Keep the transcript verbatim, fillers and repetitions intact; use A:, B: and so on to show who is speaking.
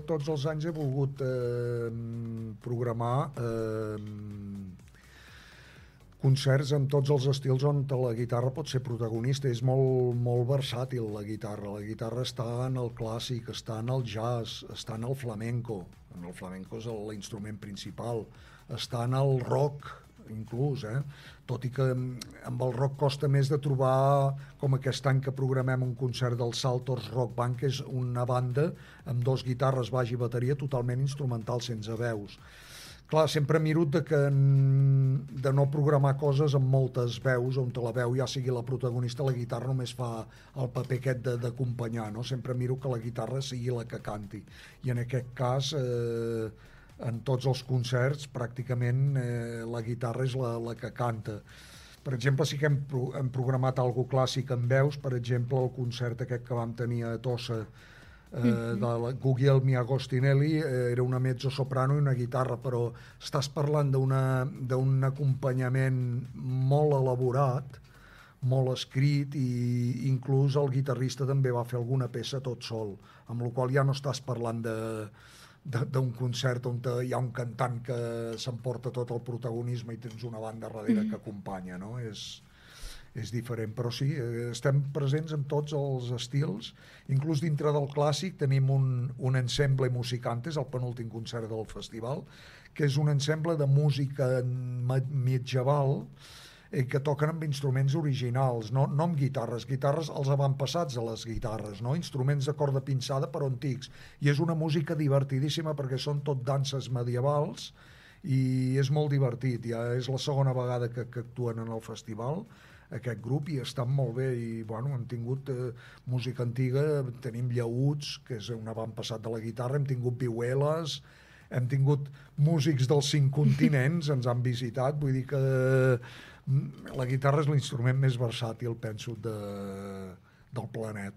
A: tots els anys he volgut eh, programar eh, concerts amb tots els estils on la guitarra pot ser protagonista. És molt, molt versàtil la guitarra. La guitarra està en el clàssic, està en el jazz, està en el flamenco. En el flamenco és l'instrument principal. Està en el rock, inclús, eh? Tot i que amb el rock costa més de trobar, com aquest any que programem un concert del Saltors Rock Band, que és una banda amb dos guitarres, baix i bateria totalment instrumental, sense veus. Clar, sempre miro de, que, de no programar coses amb moltes veus, on la veu ja sigui la protagonista, la guitarra només fa el paper aquest d'acompanyar, no? Sempre miro que la guitarra sigui la que canti. I en aquest cas, eh, en tots els concerts, pràcticament eh, la guitarra és la, la que canta. Per exemple, sí que hem, pro hem programat algo clàssic amb veus, per exemple, el concert aquest que vam tenir a Tossa, eh, mm-hmm. de la Guglielmi Agostinelli, eh, era una mezzo-soprano i una guitarra, però estàs parlant d'un acompanyament molt elaborat, molt escrit, i inclús el guitarrista també va fer alguna peça tot sol, amb la qual ja no estàs parlant de d'un concert on hi ha un cantant que s'emporta tot el protagonisme i tens una banda darrere mm. que acompanya, no? És, és diferent, però sí, estem presents en tots els estils, inclús dintre del clàssic tenim un, un ensemble musicantes, el penúltim concert del festival, que és un ensemble de música medieval eh, que toquen amb instruments originals, no, no amb guitarres, guitarres els avantpassats de les guitarres, no? Instruments de corda pinçada però antics, i és una música divertidíssima perquè són tot danses medievals i és molt divertit. Ja és la segona vegada que, que actuen en el festival aquest grup i estan molt bé, i bueno, hem tingut eh, música antiga, tenim llaüts, que és un avantpassat de la guitarra, hem tingut vihueles, hem tingut músics dels cinc continents, ens han visitat, vull dir que la guitarra és l'instrument més versàtil, penso, de, del planeta.